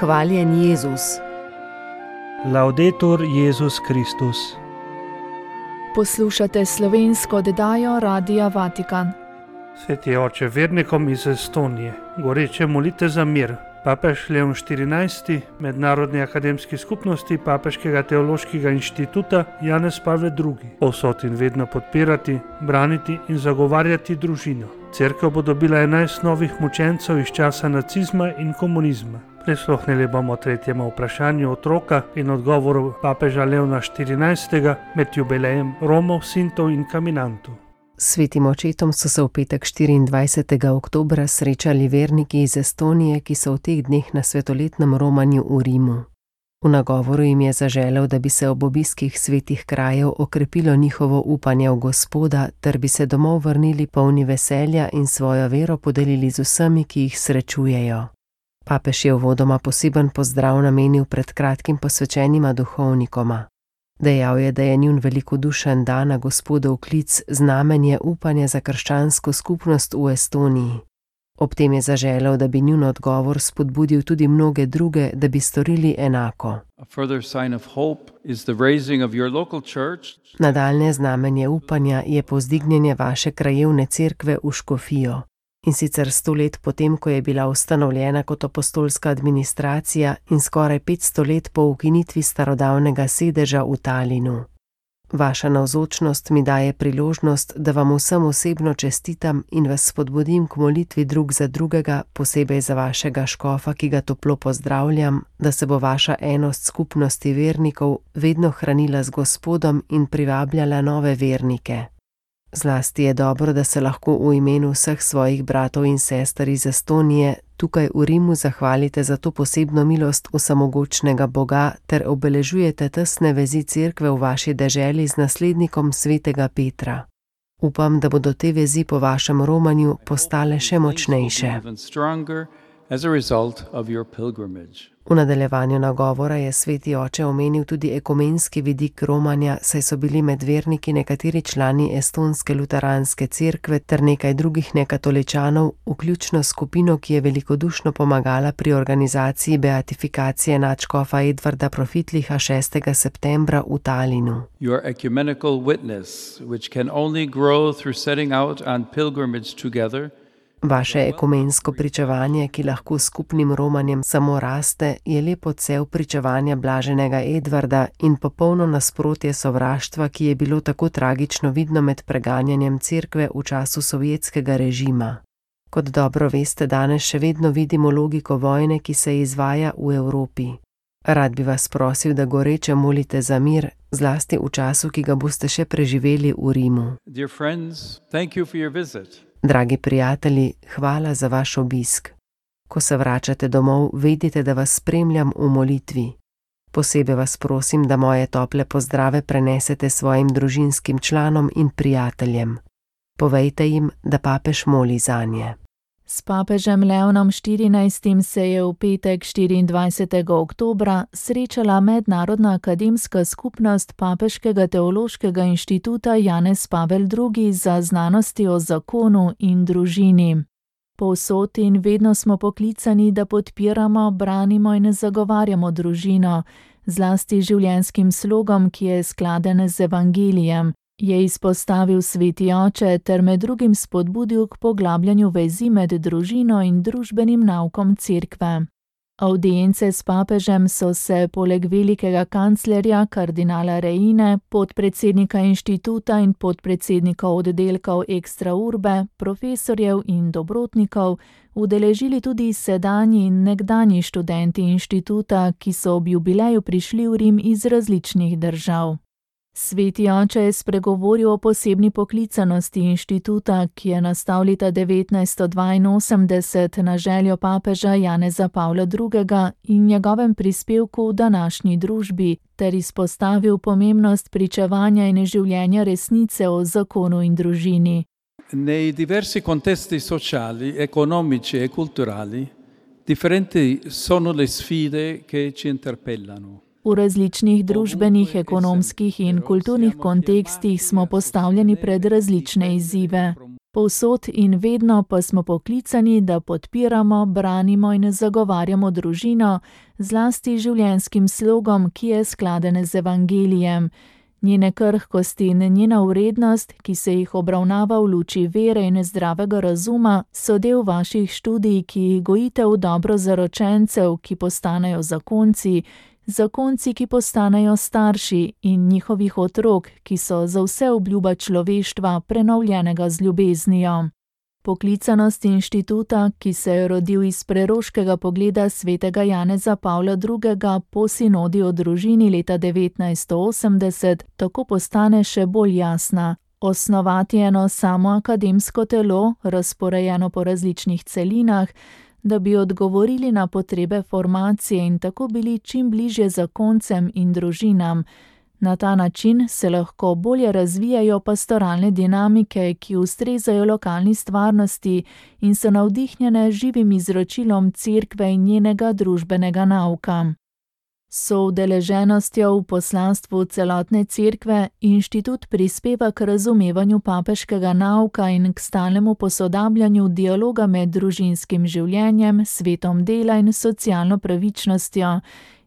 Hvaljen Jezus. Laudetur Jezus Kristus. Poslušate slovensko oddajo Radia Vatikan. Sveti oče, vernikom iz Estonije goreče molite za mir. Papež Leon XIV, Mednarodni akademski skupnosti Papeškega teološkega inštituta Janez Pavel II, povsod in vedno podpirati, braniti in zagovarjati družino. Cerkev bo dobila 11 novih mučencev iz časa nacizma in komunizma. Prisluhnili bomo tretjemu vprašanju otroka in odgovoru papeža Leona XIV med jubilejem Romov, Sintov in Kaminantov. Svetim očetom so se v petek 24. oktobra srečali verniki iz Estonije, ki so v teh dneh na svetoletnem romanju v Rimu. V nagovoru jim je zaželel, da bi se ob obiskih svetih krajev okrepilo njihovo upanje v Gospoda, ter bi se domov vrnili polni veselja in svojo vero podelili z vsemi, ki jih srečujejo. Papež je uvodoma poseben pozdrav namenil pred kratkim posvečenima duhovnikoma. Dejal je, da je njun velikodušen dan na Gospodov klic znamenje upanja za krščansko skupnost v Estoniji. Ob tem je zaželel, da bi njun odgovor spodbudil tudi mnoge druge, da bi storili enako. Nadaljnje znamenje upanja je povzdignjenje vaše krajevne cerkve v Škofijo. In sicer 100 let potem, ko je bila ustanovljena kot apostolska administracija in skoraj 500 let po ukinitvi starodavnega sedeža v Talinu. Vaša navzočnost mi daje priložnost, da vam vsem osebno čestitam in vas spodbudim k molitvi drug za drugega, posebej za vašega škofa, ki ga toplo pozdravljam, da se bo vaša enost skupnosti vernikov vedno hranila z Gospodom in privabljala nove vernike. Zlasti je dobro, da se lahko v imenu vseh svojih bratov in sester iz Estonije tukaj v Rimu zahvalite za to posebno milost vsemogočnega Boga ter obeležujete tesne vezi cerkve v vaši deželi z naslednikom svetega Petra. Upam, da bodo te vezi po vašem romanju postale še močnejše. V nadaljevanju nagovora je sveti oče omenil tudi ekumenski vidik romanja, saj so bili med verniki nekateri člani estonske luteranske cerkve ter nekaj drugih nekatoličanov, vključno skupino, ki je velikodušno pomagala pri organizaciji beatifikacije nadškofa Edvarda Profitliha 6. septembra v Talinu. Your ecumenical witness, which can only grow through setting out on pilgrimage together, Vaše ekumensko pričevanje, ki lahko skupnim romanjem samo raste, je lep odsev pričevanja blaženega Edvarda in popolno nasprotje sovraštva, ki je bilo tako tragično vidno med preganjanjem cerkve v času sovjetskega režima. Kot dobro veste, danes še vedno vidimo logiko vojne, ki se izvaja v Evropi. Rad bi vas prosil, da goreče molite za mir, zlasti v času, ki ga boste še preživeli v Rimu. Dear friends, thank you for your visit. Dragi prijatelji, hvala za vaš obisk. Ko se vračate domov, vedite, da vas spremljam v molitvi. Posebej vas prosim, da moje tople pozdrave prenesete svojim družinskim članom in prijateljem. Povejte jim, da papež moli zanje. S papežem Leonom XIV se je v petek 24. oktobra srečala Mednarodna akademska skupnost Papeškega teološkega inštituta Janez Pavel II za znanosti o zakonu in družini. Povsod in vedno smo poklicani, da podpiramo, branimo in zagovarjamo družino, zlasti življenjskim slogom, ki je skladen z evangelijem, je izpostavil sveti oče ter med drugim spodbudil k poglabljanju vezi med družino in družbenim naukom cerkve. Avdience s papežem so se poleg velikega kanclerja kardinala Reine, podpredsednika inštituta in podpredsednikov oddelkov Extra Urbe, profesorjev in dobrotnikov udeležili tudi sedanji in nekdanji študenti inštituta, ki so ob jubileju prišli v Rim iz različnih držav. Sveti oče je spregovoril o posebni poklicanosti inštituta, ki je nastal leta 1982 na željo papeža Janeza Pavla II. In njegovem prispevku v današnji družbi, ter izpostavil pomembnost pričevanja in življenja resnice o zakonu in družini. Nei diversi contesti sociali, economici e culturali, differenti sono le sfide che ci interpellano. V različnih družbenih, ekonomskih in kulturnih kontekstih smo postavljeni pred različne izzive. Povsod in vedno pa smo poklicani, da podpiramo, branimo in zagovarjamo družino, zlasti življenjskim slogom, ki je skladen z evangelijem. Njene krhkosti in njena vrednost, ki se jih obravnava v luči vere in zdravega razuma, so del vaših študij, ki jih gojite v dobro zaročencev, ki postanejo zakonci, ki postanejo starši in njihovih otrok, ki so za vse obljuba človeštva prenovljenega z ljubeznijo. Poklicanost inštituta, ki se je rodil iz preroškega pogleda svetega Janeza Pavla II. Po sinodi o družini leta 1980, tako postane še bolj jasna. Osnovati eno samo akademsko telo, razporejeno po različnih celinah, da bi odgovorili na potrebe formacije in tako bili čim bližje zakoncem in družinam. Na ta način se lahko bolje razvijajo pastoralne dinamike, ki ustrezajo lokalni stvarnosti in so navdihnjene živim izročilom cerkve in njenega družbenega nauka. Soudeleženostjo v poslanstvu celotne cerkve inštitut prispeva k razumevanju papeškega nauka in k stalnemu posodabljanju dialoga med družinskim življenjem, svetom dela in socialno pravičnostjo,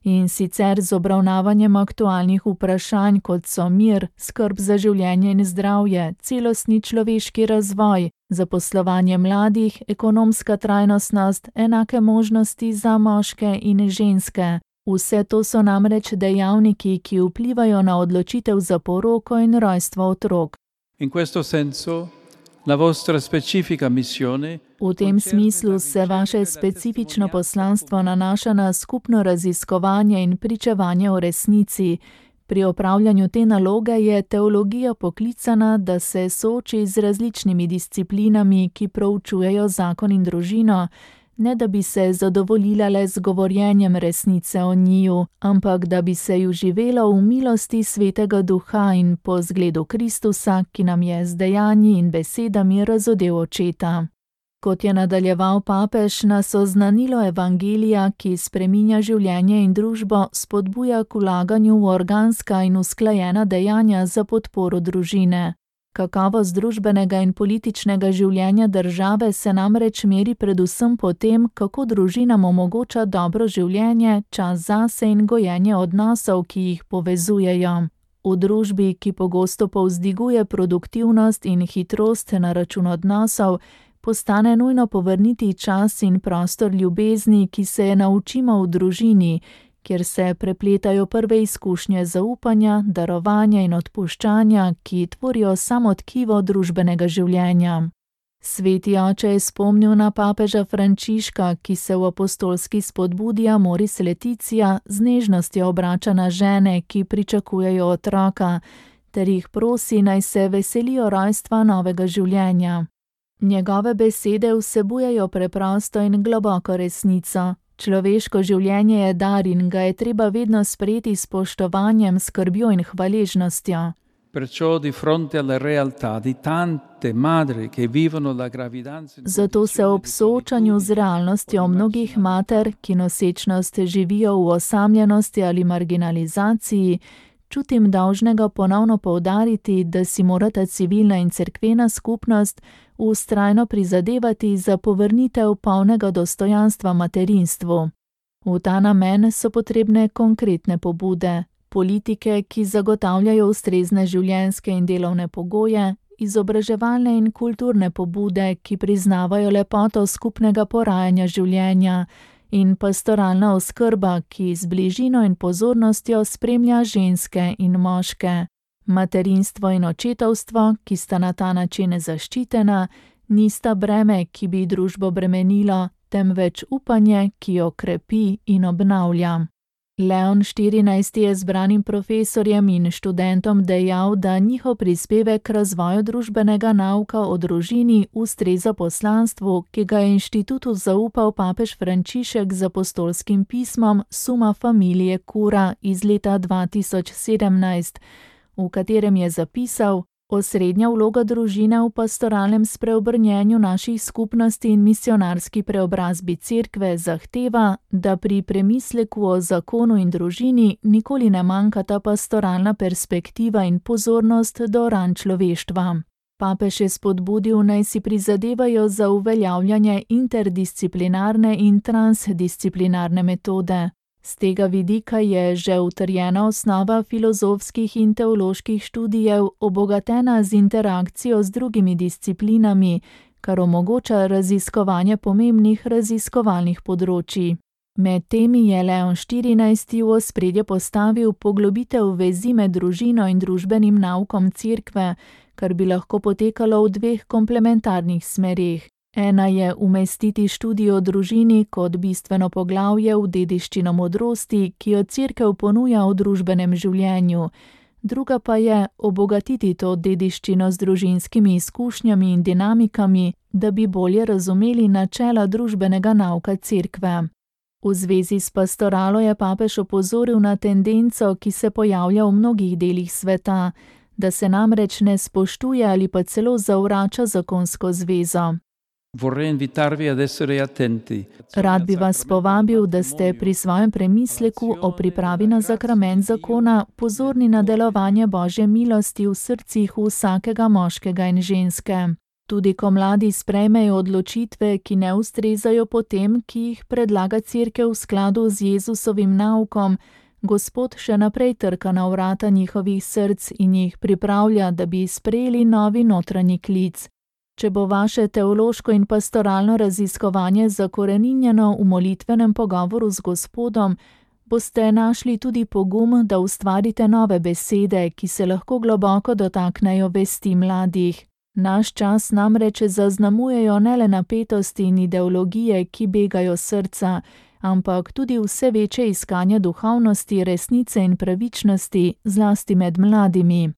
in sicer z obravnavanjem aktualnih vprašanj, kot so mir, skrb za življenje in zdravje, celostni človeški razvoj, zaposlovanje mladih, ekonomska trajnostnost, enake možnosti za moške in ženske. Vse to so namreč dejavniki, ki vplivajo na odločitev za poroko in rojstvo otrok. In questo senso la vostra specifica missione. V tem smislu se vaše specifično poslanstvo nanaša na skupno raziskovanje in pričevanje o resnici. Pri opravljanju te naloge je teologija poklicana, da se sooči z različnimi disciplinami, ki proučujejo zakon in družino, ne da bi se zadovoljila le z govorjenjem resnice o njiju, ampak da bi se ju živelo v milosti Svetega Duha in po zgledu Kristusa, ki nam je z dejanji in besedami razodel očeta. Kot je nadaljeval papež, nas oznanilo evangelija, ki spreminja življenje in družbo, spodbuja k vlaganju v organska in usklajena dejanja za podporo družine. Kakovost družbenega in političnega življenja države se namreč meri predvsem po tem, kako družinam omogoča dobro življenje, čas zase in gojenje odnosov, ki jih povezujejo. V družbi, ki pogosto povzdiguje produktivnost in hitrost na račun odnosov, postane nujno povrniti čas in prostor ljubezni, ki se je naučimo v družini, kjer se prepletajo prve izkušnje zaupanja, darovanja in odpuščanja, ki tvorijo samo tkivo družbenega življenja. Sveti oče je spomnil na papeža Frančiška, ki se v apostolski spodbudi Amoris Laetitia z nežnostjo obrača na žene, ki pričakujejo otroka, ter jih prosi, naj se veselijo rojstva novega življenja. Njegove besede vsebujejo preprosto in globoko resnico. Človeško življenje je dar in ga je treba vedno sprejeti s spoštovanjem, skrbjo in hvaležnostjo. Zato se ob soočanju z realnostjo mnogih mater, ki nosečnost živijo v osamljenosti ali marginalizaciji, čutim dolžnega ponovno poudariti, da si morata civilna in cerkvena skupnost vztrajno prizadevati za povrnitev polnega dostojanstva materinstvu. V ta namen so potrebne konkretne pobude, politike, ki zagotavljajo ustrezne življenjske in delovne pogoje, izobraževalne in kulturne pobude, ki priznavajo lepoto skupnega porajanja življenja, in pastoralna oskrba, ki z bližino in pozornostjo spremlja ženske in moške. Materinstvo in očetovstvo, ki sta na ta način zaščitena, nista breme, ki bi družbo bremenilo, temveč upanje, ki jo krepi in obnavlja. Leon XIV. Je zbranim profesorjem in študentom dejal, da njihov prispevek k razvoju družbenega nauka o družini ustreza poslanstvu, ki ga je inštitutu zaupal papež Frančišek z apostolskim pismom Summa Familiae Cura iz leta 2017, v katerem je zapisal: osrednja vloga družine v pastoralnem spreobrnjenju naših skupnosti in misionarski preobrazbi cerkve zahteva, da pri premisleku o zakonu in družini nikoli ne manjkata pastoralna perspektiva in pozornost do ran človeštva. Papež je spodbudil, naj si prizadevajo za uveljavljanje interdisciplinarne in transdisciplinarne metode. Z tega vidika je že utrjena osnova filozofskih in teoloških študijev obogatena z interakcijo z drugimi disciplinami, kar omogoča raziskovanje pomembnih raziskovalnih področij. Med temi je Leon XIV. V ospredje postavil poglobitev vezi med družino in družbenim naukom Cerkve, kar bi lahko potekalo v dveh komplementarnih smereh. Ena je umestiti študij o družini kot bistveno poglavje v dediščino modrosti, ki jo Cerkev ponuja v družbenem življenju. Druga pa je obogatiti to dediščino z družinskimi izkušnjami in dinamikami, da bi bolje razumeli načela družbenega nauka Cerkve. V zvezi s pastoralo je papež opozoril na tendenco, ki se pojavlja v mnogih delih sveta, da se namreč ne spoštuje ali pa celo zavrača zakonsko zvezo. Rad bi vas povabil, da ste pri svojem premisleku o pripravi na sakrament zakona pozorni na delovanje Božje milosti v srcih vsakega moškega in ženske. Tudi ko mladi sprejmejo odločitve, ki ne ustrezajo potem, ki jih predlaga Cerkev v skladu z Jezusovim naukom, Gospod še naprej trka na vrata njihovih src in jih pripravlja, da bi sprejeli novi notranji klic. Če bo vaše teološko in pastoralno raziskovanje zakoreninjeno v molitvenem pogovoru z Gospodom, boste našli tudi pogum, da ustvarite nove besede, ki se lahko globoko dotaknejo vesti mladih. Naš čas namreč zaznamujejo ne le napetosti in ideologije, ki begajo srca, ampak tudi vse večje iskanje duhovnosti, resnice in pravičnosti, zlasti med mladimi.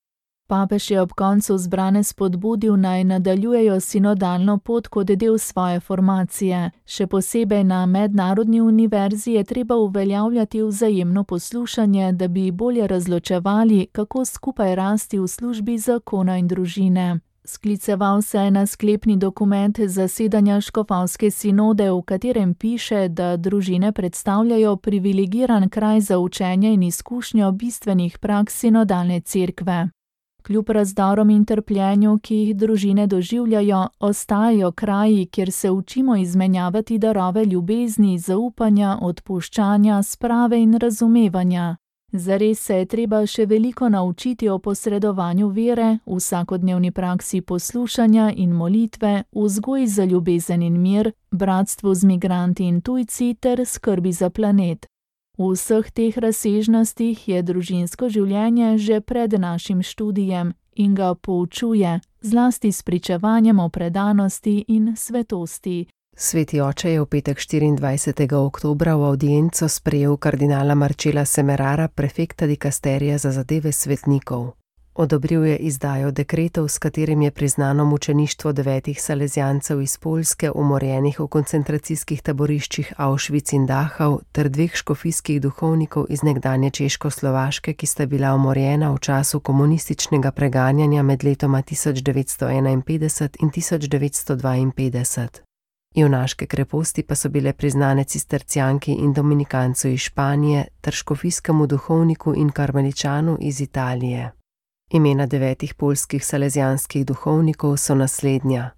Papež je ob koncu zbrane spodbudil, naj nadaljujejo sinodalno pot kot del svoje formacije. Še posebej na mednarodni univerzi je treba uveljavljati vzajemno poslušanje, da bi bolje razločevali, kako skupaj rasti v službi zakona in družine. Skliceval se je na sklepni dokument zasedanja škofovske sinode, v katerem piše, da družine predstavljajo privilegiran kraj za učenje in izkušnjo bistvenih praks sinodalne cerkve. Kljub razdorom in trpljenju, ki jih družine doživljajo, ostajajo kraji, kjer se učimo izmenjavati darove ljubezni, zaupanja, odpuščanja, sprave in razumevanja. Zares se je treba še veliko naučiti o posredovanju vere, vsakodnevni praksi poslušanja in molitve, vzgoji za ljubezen in mir, bratstvu z migranti in tujci ter skrbi za planet. V vseh teh razsežnostih je družinsko življenje že pred našim študijem in ga poučuje, zlasti s pričevanjem o predanosti in svetosti. Sveti oče je v petek 24. oktobra v avdienco sprejel kardinala Marcela Semerara, prefekta dikasterija za zadeve svetnikov. Odobril je izdajo dekretov, s katerim je priznano mučeništvo 9 salezjancev iz Poljske, umorjenih v koncentracijskih taboriščih Auschwitz in Dachau, ter 2 škofijskih duhovnikov iz nekdanje Češkoslovaške, ki sta bila umorjena v času komunističnega preganjanja med letoma 1951 in 1952. Junaške kreposti pa so bile priznane cistercijanki in dominikancu iz Španije ter škofijskemu duhovniku in karmeličanu iz Italije. Imena 9 poljskih salezjanskih duhovnikov so naslednja: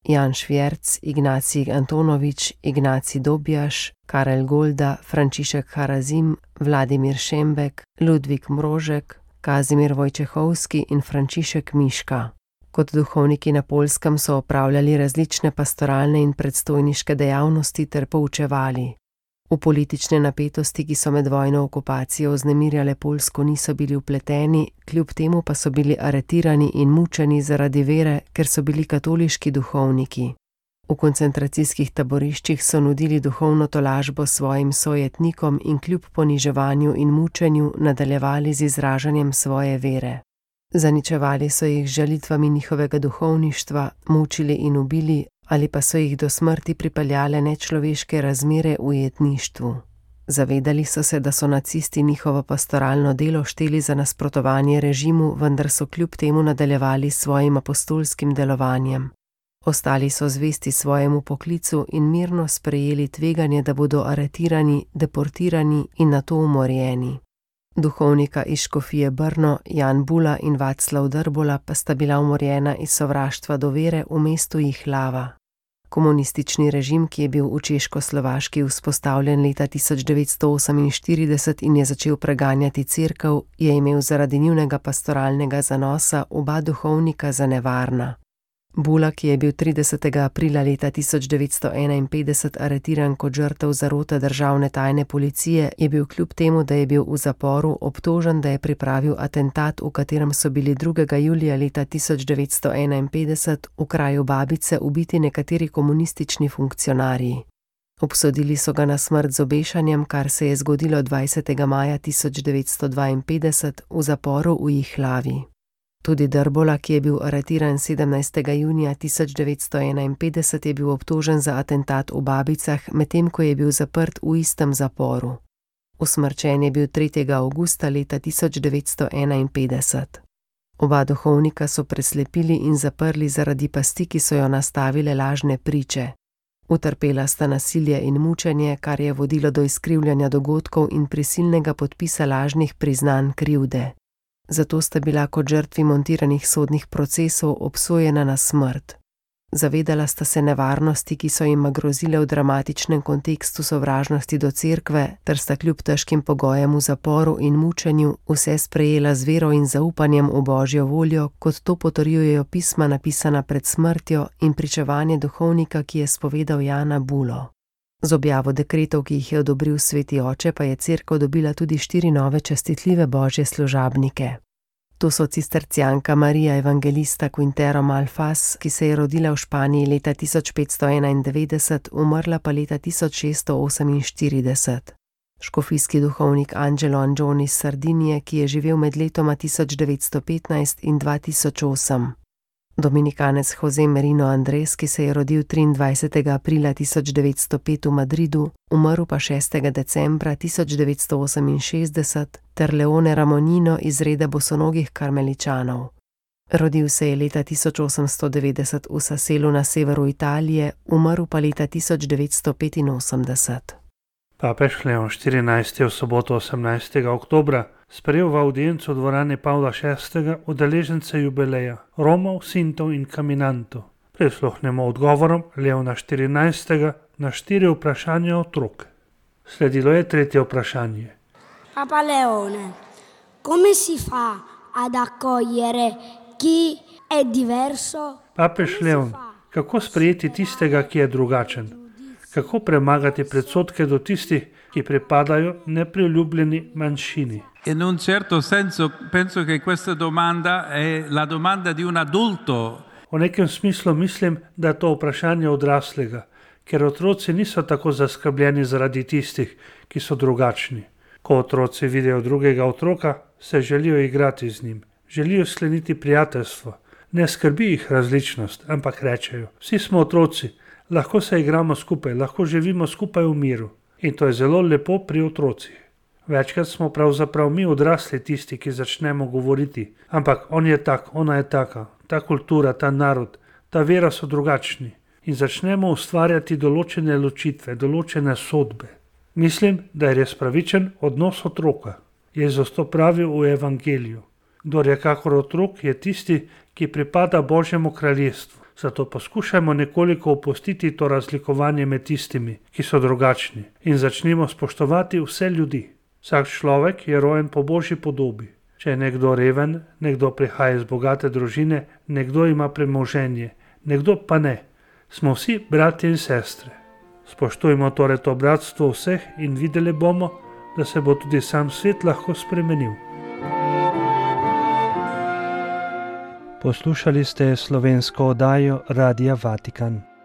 Jan Švjerc, Ignacij Antonovič, Ignacij Dobjaš, Karel Golda, Frančišek Harazim, Vladimir Šembek, Ludvik Mrožek, Kazimir Vojčehovski in Frančišek Miška. Kot duhovniki na Poljskem so opravljali različne pastoralne in predstojniške dejavnosti ter poučevali. V politične napetosti, ki so med vojno okupacijo vznemirjale Poljsko, niso bili vpleteni, kljub temu pa so bili aretirani in mučeni zaradi vere, ker so bili katoliški duhovniki. V koncentracijskih taboriščih so nudili duhovno tolažbo svojim sojetnikom in kljub poniževanju in mučenju nadaljevali z izražanjem svoje vere. Zaničevali so jih z žalitvami njihovega duhovništva, mučili in ubili, ali pa so jih do smrti pripeljale nečloveške razmere v ujetništvu. Zavedali so se, da so nacisti njihovo pastoralno delo šteli za nasprotovanje režimu, vendar so kljub temu nadaljevali s svojim apostolskim delovanjem. Ostali so zvesti svojemu poklicu in mirno sprejeli tveganje, da bodo aretirani, deportirani in nato umorjeni. Duhovnika iz škofije Brno, Jan Bula in Vaclav Drbola pa sta bila umorjena iz sovraštva do vere v mestu Jihlava. Komunistični režim, ki je bil v Češko-Slovaški vzpostavljen leta 1948 in je začel preganjati cerkev, je imel zaradi njunega pastoralnega zanosa oba duhovnika za nevarna. Bula, ki je bil 30. aprila leta 1951 aretiran kot žrtev zarote državne tajne policije, je bil kljub temu, da je bil v zaporu, obtožen, da je pripravil atentat, v katerem so bili 2. julija leta 1951 v kraju Babice ubiti nekateri komunistični funkcionarji. Obsodili so ga na smrt z obešanjem, kar se je zgodilo 20. maja 1952 v zaporu v Jihlavi. Tudi Drbola, ki je bil aretiran 17. junija 1951, je bil obtožen za atentat v Babicah, medtem ko je bil zaprt v istem zaporu. Usmrčen je bil 3. avgusta leta 1951. Oba duhovnika so preslepili in zaprli zaradi pasti, ki so jo nastavile lažne priče. Utrpela sta nasilje in mučenje, kar je vodilo do izkrivljanja dogodkov in prisilnega podpisa lažnih priznanj krivde. Zato sta bila kot žrtvi montiranih sodnih procesov obsojena na smrt. Zavedala sta se nevarnosti, ki so jima grozile v dramatičnem kontekstu sovražnosti do cerkve, ter sta kljub težkim pogojem v zaporu in mučenju vse sprejela z vero in zaupanjem v Božjo voljo, kot to potrjujejo pisma napisana pred smrtjo in pričevanje duhovnika, ki je spovedal Jana Bulo. Z objavo dekretov, ki jih je odobril sveti oče, pa je cerkev dobila tudi 4 nove častitljive božje služabnike. To so cistercijanka Marija Evangelista Quintero Malfas, ki se je rodila v Španiji leta 1591, umrla pa leta 1648. Škofijski duhovnik Angelo Angioni iz Sardinije, ki je živel med letoma 1915 in 2008. Dominikanec Jose Merino Andres, ki se je rodil 23. aprila 1905 v Madridu, umrl pa 6. decembra 1968, ter Leone Ramonino iz reda bosonogih karmeličanov. Rodil se je leta 1890 v Saselu na severu Italije, umrl pa leta 1985. Papež Leon XIV je v soboto 18. oktobra sprejel v audiencu dvorane Pavla VI udeležence jubileja, Romov, Sintov in Caminantov. Prisluhnemo odgovorom Leona XIV na 4 vprašanja otrok. Sledilo je 3. vprašanje. Papa Leone, come si fa ad accogliere chi è diverso? Papež Leon, kako sprejeti tistega, ki je drugačen? Kako premagati predsodke do tistih, ki pripadajo nepriljubljeni manjšini? In un certo senso penso che questa domanda è la domanda di un adulto. V nekem smislu mislim, da je to vprašanje odraslega, ker otroci niso tako zaskrbljeni zaradi tistih, ki so drugačni. Ko otroci vidijo drugega otroka, se želijo igrati z njim, želijo skleniti prijateljstvo. Ne skrbi jih različnost, ampak rečejo, vsi smo otroci, lahko se igramo skupaj, lahko živimo skupaj v miru. In to je zelo lepo pri otrocih. Večkrat smo pravzaprav mi odrasli tisti, ki začnemo govoriti, ampak on je tak, ona je taka, ta kultura, ta narod, ta vera so drugačni. In začnemo ustvarjati določene ločitve, določene sodbe. Mislim, da je res pravičen odnos otroka. Jezus to pravi v Evangeliju. Kdor je kakor otrok, je tisti, ki pripada Božjemu kraljestvu. Zato poskušajmo nekoliko opustiti to razlikovanje med tistimi, ki so drugačni, in začnimo spoštovati vse ljudi. Vsak človek je rojen po Božji podobi. Če je nekdo reven, nekdo prihaja iz bogate družine, nekdo ima premoženje, nekdo pa ne. Smo vsi bratje in sestre. Spoštujmo torej to bratstvo vseh in videli bomo, da se bo tudi sam svet lahko spremenil. Poslušali ste slovensko oddajo Radia Vatikan.